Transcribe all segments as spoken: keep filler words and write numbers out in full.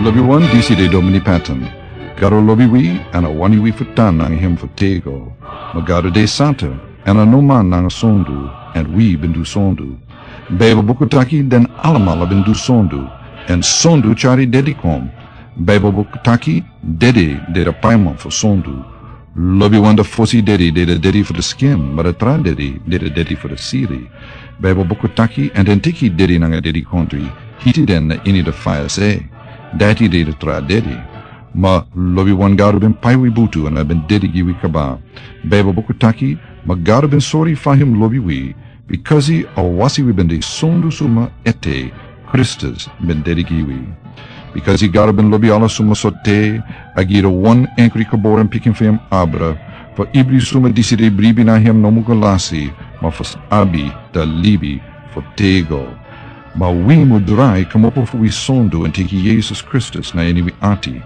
Lobiwan, disi de Domini Patton. Gado lobi wi, èn a wani wi fu tan nanga hem fu tego. Ma Gado de santa, èn a no man nanga sondu, èn wi ben du sondu. Baibel buku taki den alamala ben du sondu, èn sondu tyari dedi kon. Baibel buku taki dedi de da paiman fu sondu. Lobiwan, da fosi dedi de da dedi fu da skin, ma da tra dedi de da dedi fu da siri. Baibel buku taki, èn den teki dedi nanga dedi kontri, hiti den na ini da faya se. Dati de da tra dedi. Ma lobiwan, Gado ben pai wi butu èn a ben dedi gi wi kaba. Baibel buku taki, ma Gado ben sori fa hem lobi wi, bikasi a wasi wi ben de sondu suma ete, Kristus ben dedi gi wi. Bikasi Gado ben lobi ala suma so te, a gi da wan enkri geboren pikin fu hem abra, fu ibri suma disi de bribi na hem no mu go lasi, ma fu abi da libi fu tego. Ma wi mu drai kmopo fu wi sondu èn teki Yesus Kristus na ini wi ati.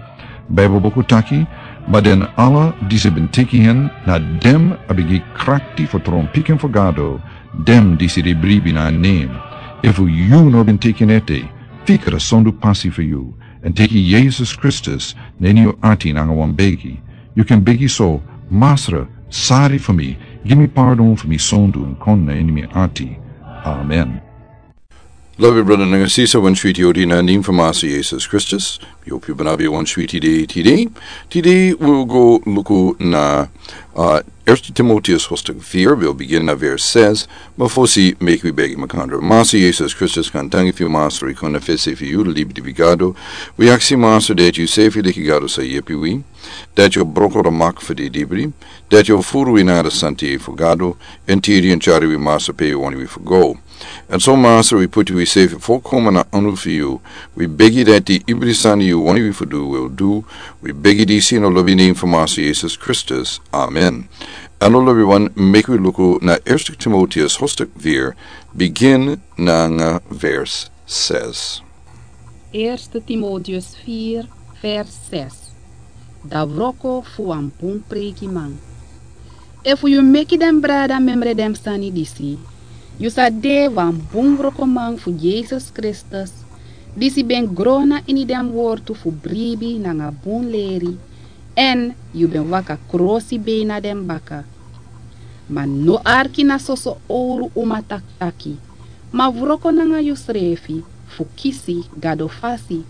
Baibel buku taki, ma den ala disi ben teki hen, na den a ben gi krakti fu tron pikin fu Gado, den disi de bribi na nen. Efu yu no ben teki en ete, fika da sondu pasi fu yu, èn teki Yesus Kristus na ini yu ati nanga wan begi. Yu kan begi so, Masra, sari fu mi, gi mi pardon fu mi sondu èn kon na ini mi ati. Amen. Lobi brada nanga sisa, wan switi odi na nen fu Masa Yesus Kristus. Mi hopu yu ben abi wan switi dei tide. Tide wi o go luku na, uh, Eerste Timotheus hoofdstuk vier, wi o bigin na vers zes. Ma fosi meki wi begi makandra. Masa Yesus Kristus, kan tangi fu yu Masra, yu kon na fesi fu yu, libi di wi Gado. Wi aksi Masra dati yu sefi leki Gado sa yepi wi. Dati yu o broko da mak fu di dibri. Dati yu o furu wi na da santi fu Gado. Èn tiri èn tyari wi Masra pe yu wani wi fu go. Èn so Masra, wi puti wi sefi folkomen na anu fu yu. Wi begi dati ibri sani yu wani wi fu du wi o du. Wi begi disi na lobi nen fu Masa Yesus Kristus. Amen. Èn lobiwan, meki wi luku na Eerste Timotheus hoofdstuk vier, bigin nanga vers zes. Eerste Timotheus vier, vers zes. Da wroko fu wan bun preikiman. Efu yu meki den brada memre den sani disi, yu sa de wan bun wrokoman fu Yesus Kristus, disi ben gro na ini den wortu fu bribi nanga bun leri, èn yu ben waka krosibei na den baka. Ma no arki na soso owru uma takitaki, ma wroko nanga yusrefi fu kisi Gado fasi.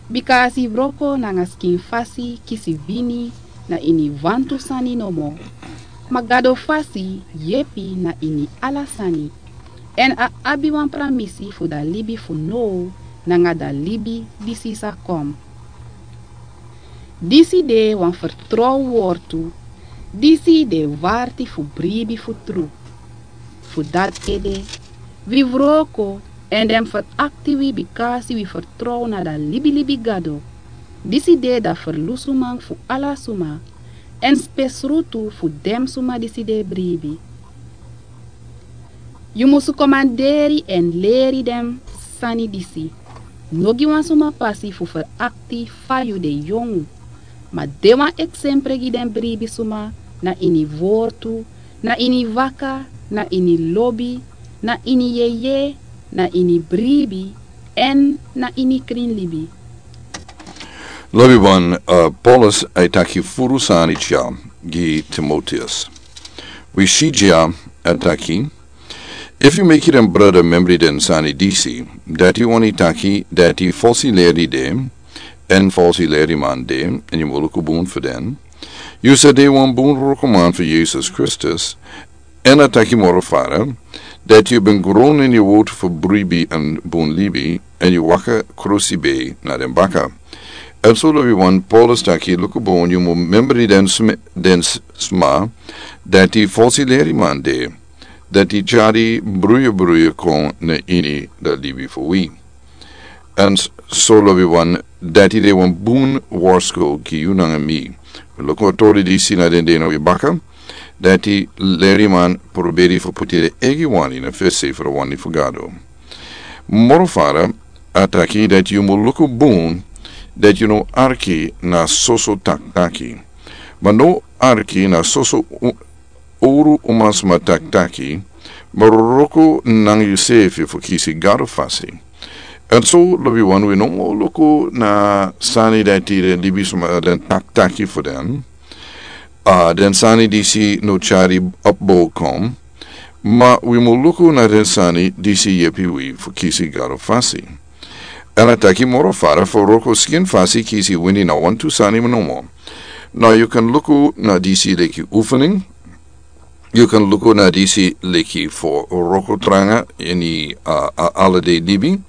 Bika a si wroko nanga skin fasi kisi wini na ini wantu sani nomo, ma Gado fasi yepi na ini ala sani. Èn a abi wan pramisi fu da libi fu now nanga da libi disi sa kon. Disi de wan fertrow wortu, disi de warti fu bribi fu tru. Fu dati ede, wi wroko èn den ferakti wi bikasi wi fertrow na da libilibi Gado. Disi de da ferlusuman fu ala suma, èn spesrutu fu den suma disi de bribi. Yu musu komanderi èn leri den sani disi. No gi wan suma pasi fu ferakti fa yu de yongu. Ma de wan eksempre gi den bribi suma na ini wortu, na ini waka, na ini lobi, na ini yeye, na ini bribi, èn na ini krin libi. Lobiwan, uh, Paulus a e taki furu sani dya gi Timotheus. Wi si dya a taki, efu yu meki den brada memri den sani disi, dati wani taki dati falsi leri de, èn falsi leriman de, èn yu mu luku bun fu den. Yu sa de wan bun wrokoman fu Yesus Kristus, èn a taki moro fara, dati yu ben gro na ini wortu fu bribi èn bun libi, èn yu waka krosibei na den baka. Èn so lobiwan, Paulus taki luku bun yu mu memri den sm-, den s-, sma, dati falsi leriman de, dati tyari bruya bruya kon na ini da libi fu wi. Èn s-, so lobiwan, dati de wan bun warsko gi yu nanga mi. Luku a tori disi na den dei na wi baka, dati leriman proberi fu puti den eigi wani na fesi fu da wani fu Gado. Moro fara a taki dati yu mu luku bun, dati yu no arki na soso takitaki. Ma no arki na soso u-, owru umasma takitaki, ma wroko nanga yusefi fu kisi Gado fasi. En so lobi wan wi no mo luku na sani dati den libisma den taktaki fu den. A den sani disi no tyari opbokom. Ma wi mo luku na den sani disi yepi wi fu kisi gado fasi. En a taki moro fara fu roko skin fasi kisi wini na wantu sani nomo. Na yu kan luku na disi leki ufuning. Yu kan luku na disi leki fu roko tranga ini a alade libi.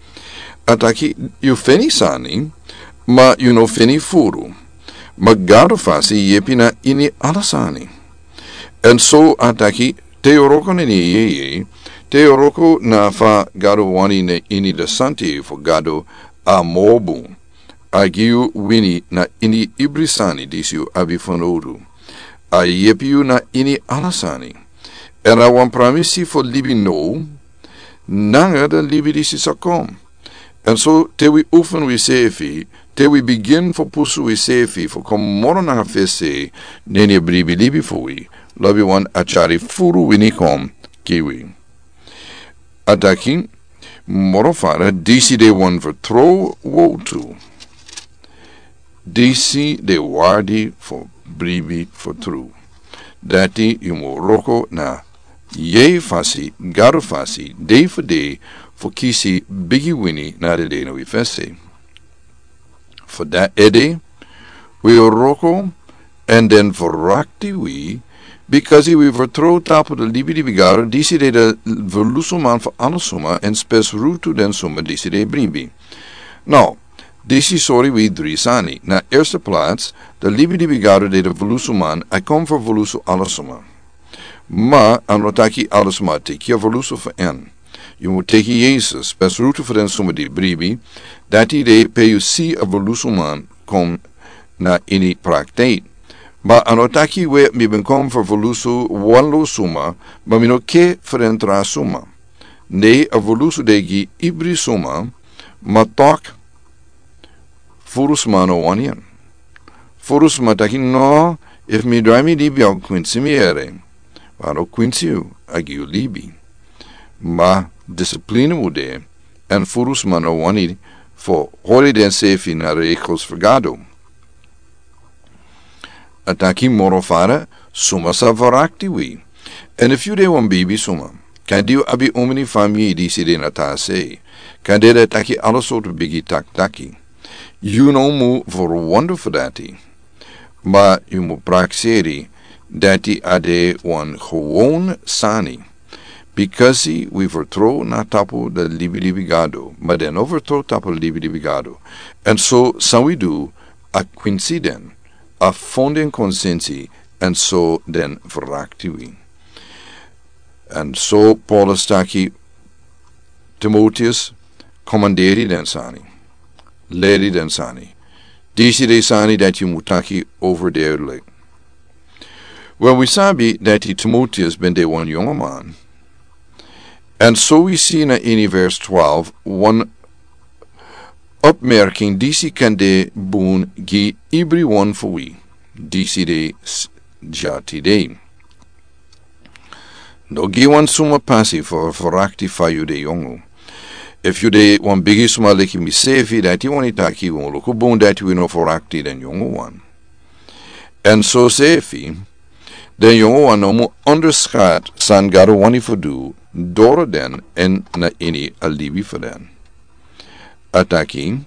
A taki yu feni sani ma yu no feni furu. Ma gado fasi yepi na ini ala sani. En so a taki te yu roko na ini yeye te yu roko na fa gado wani na ini de santi fu gado a mobu. A gi yu wini na ini ibri sani disi yu abi fanowdu. A yepi yu na ini ala sani. En a wan pramisi fu libi now nanga den libi disi sa kon. En so te wi ufun wi sefi te wi bigin fu pusu wi sefi fu kon moro nanga fesi. Neni a bribi libi fu wi lobi wan a tyari furu wini kon gi wi. A taki moro fara disi de wan fu trow wotu. Disi de wardi fu bribi fu tru. Dati yu mu roko na yei fasi gado fasi dei fu dei fu kisi bigi wini na de dei na wi fesi. Fu dati ede wi roko en den fu rakti wi. Bikasi wi fu trow tapu de libi libi gado disi de de fu lusu man fu ala suma en spes rutu den suma disi de bribi. No, disi sori wi dri sani na erste plats de libi libi gado de de fu lusu man a kon fu fu lusu ala suma. Ma a no taki ala suma teki a fu lusu fu en. Yu mu teki yesus spes rutu fu den suma di bribi. Dati de pe yu si a fu lusu man kon na ini prakteit. Ma a no taki we mi ben kon fu fu lusu wan lo suma ma mi no ke fu den tra suma. Nei a fu lusu de gi ibri suma. Ma tok furu sma no wani en. Furu sma taki no efu mi drai mi libi a kwinsi mi ere. Ma a no kwinsi yu a gi yu libi. Ma disiplini mu de en furu sma no wani fu hori den sefi na rekos fu gado. A taki moro fara suma sa varakti wi. En efu yu de wan bibi suma kan di yu abi umini fami disi de na ta sei kan de de taki ala sortu bigi taktaki. Yu no mu fu wonder fu dati. Ma yu mu prakseri dati a de wan gewon sani. Bikasi wi fu trow na tapu de libi libi gado ma den no fu trow tapu de libi libi gado. En so san wi du a kwinsi den a fonden konsensi. En so den vrakti wi. En so paulus taki timoteus komanderi den sani leri den sani. Disi de sani dati yu mu taki over deri lek. Wel wi sabi dati timoteus ben de wan yongo man. En so wi si na ini vers twelve wan opmerking disi kan de bun gi ibri wan fu wi. Disi de s- jati de. No gi wan suma pasi fu fu rakti fa yu de yongu. Efu yu de wan bigi suma leki mi sefi dati wani taki wan luku bun dati wi no fu rakti den yongu wan. En so sefi den yongu wan no mu onderskat san gado wani fu du doro den en na ini a libi fu den. A taki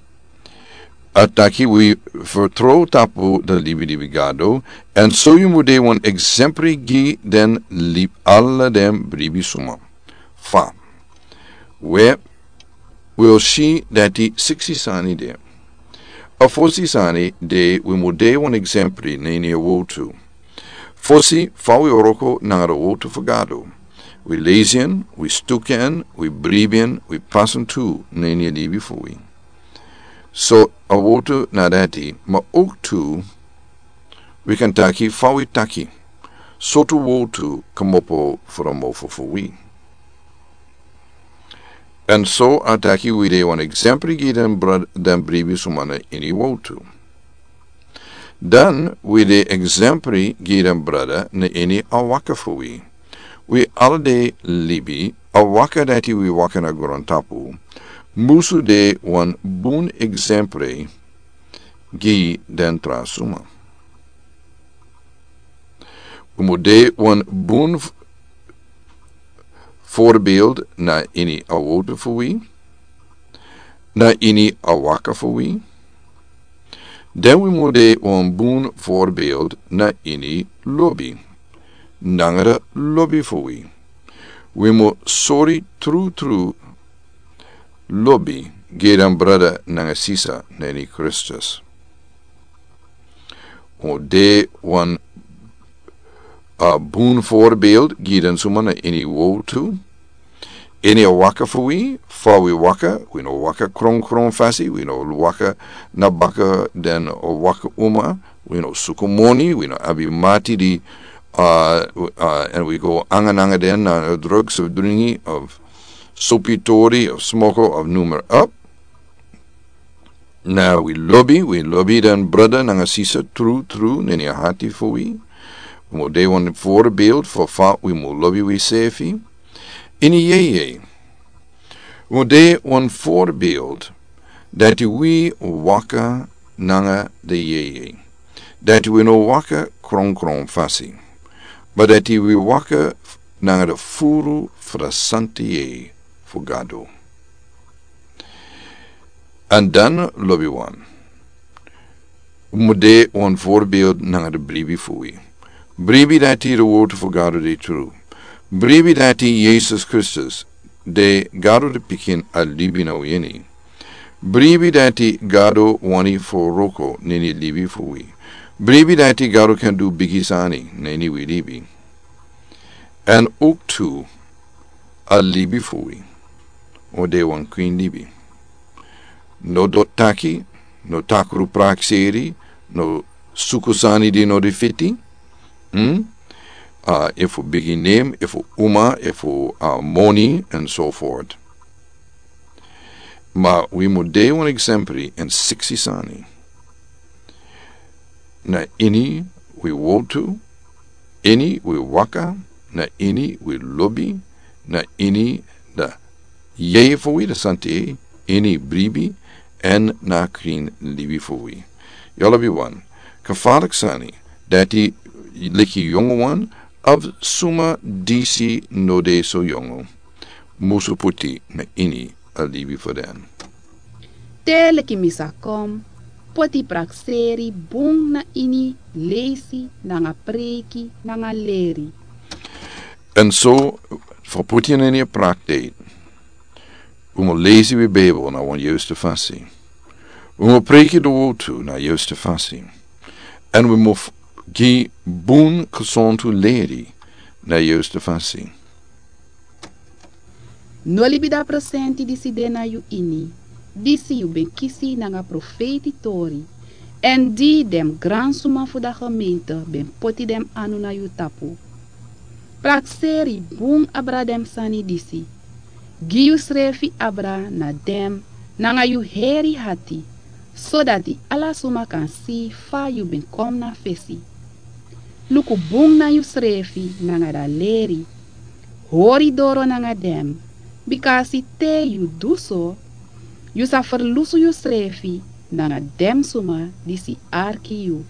a taki wi fu trow tapu den libi libi gado. En so yu mu de wan eksempri gi den lib ala den bribi suma. Fa we wi o si dati siksi sani de. A fosi sani de wi mu de wan eksempri na ini a wotu. Fosi fa wi o roko nanga a wotu fu gado. Wi lesi en wi stuki en wi bribi en wi pasi en tu na ini a libi fu wi. So a wotu na dati ma oktu wi kan taki fa wi taki sotu wotu kamopo fu a mofo fu wi. En so a taki wi de wan eksempri gi den bribi suma na ini wotu. Dan wi de eksempri gi den brada na ini a waka fu wi. Wi ala de libi a waka dati wi waka na grontapu. musu de wan bun eksempre gi den tra suma. Wi mu de wan bun voorbeeld na ini a wotu fu wi, na ini a waka fu wi. Den wi mu de wan bun voorbeeld na ini lobi, nanga de lobi fu wi. Wi mu sori tru tru lobi gi den brada nanga sisa na ini Kristus. O de wan a bun voorbeeld gi den suma na ini wotu. Ini a waka fu wi, fa wi waka, wi no waka kronkron fasi, wi no waka na baka den waka uma, wi no suku moni, wi no abi mati di, uh, uh, en wi go anga nanga den na drugs of dringi of sopi tori of smoko of numer up. Na wi lobi, wi lobi den brada nanga sisa tru tru na ini a hati fu wi. Wi mu de wan voorbeeld fu fa wi mu lobi wi sefi. Ini yeye. Wi mu de wan voorbeeld dati wi waka nanga de yeye. Dati wi no waka kronkron fasi. Ma dati wi waka nanga de furu fu de santi yeye fu Gado. An dan lobi wan. Wi mu de wan voorbeeld nanga de bribi fu wi. Bribi dati de wotu fu Gado de tru. Bribi dati Yesus Kristus de Gado de pikin a libi na wi ini. Bribi dati Gado wani fu wroko na ini libi fu wi. Bribi dati Gado kan du bigi sani na ini wi libi. An ook tu a libi fu wi. O de wan kwin libi. No doti taki, no takru prakseri, no suku sani di no de fiti. Hmm? Uh, efu bigi name, efu uma, efu uh, moni, and so forth. Ma wi mu de wan eksempri en siksi sani. Na ini wi wotu, ini wi waka, na ini wi lobi, na ini de yeye fu wi de santi, ini bribi, en na krin libi fu wi. Yu lobi wan, kafalik sani, dati leki yongu wan, of suma disi no de so yongu. Musu puti na ini a libi fu den. Te leki mi sa kon, poti prakseri bun na ini leisi, nanga preiki, nanga leri. En so, fu puti na ini a praktijk. Wi mu leisi wi Bijbel na wan juiste fasi. Wi mu preiki de wotu na juiste fasi. En wi mu f-, gi bun gesontu leri na juiste fasi. No libi da presenti disi de na yu ini, disi yu ben kisi nanga profeiti tori, en di den gransuma fu da gemeente ben poti den anu na yu tapu. Prakseri bun abra den sani disi. Gi yusrefi abra na den nanga yu heri hati, sodati ala suma kan si fa yu ben kon na fesi. Luku bun na yusrefi nanga da leri. Hori doro nanga den, bikasi te yu du so, yu sa ferlusu yusrefi nanga den suma disi arki yu.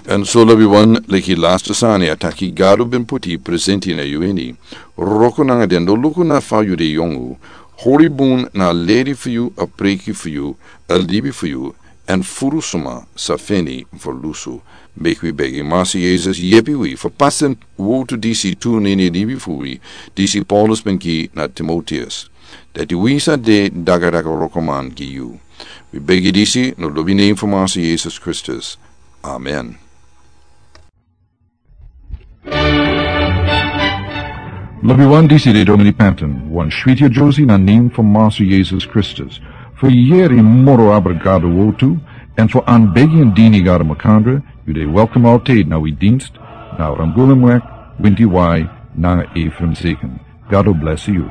En so lobi wan leki laste sani a taki Gado ben poti presenti na yu ini. Wroko nanga den, no luku na fa yu de yongu. Hori bun na leri fu yu, a preiki fu yu, a libi fu yu, en furu suma sa feni ferlusu. Meki wi begi Masi Yesus yepi wi fu pasi den wotu disi tu na ini libi fu wi, disi Paulus ben gi na Timoteus. Dati wi sa de dagadaga wrokoman gi yu. Wi begi disi na lobi nen fu Masi Yesus Kristus. Amen. Lobi wan, disi de Domini Panton, wan switi a Josi na nen fu Masi Yesus Kristus. Fu yeri moro abra Gado wotu, en fu anbegi en dini Gado makandra, yu de welkom altijd na wi dienst, na Ramgulemweg, winti wai, nanga Ephraim Zeken. Gado blesi yu.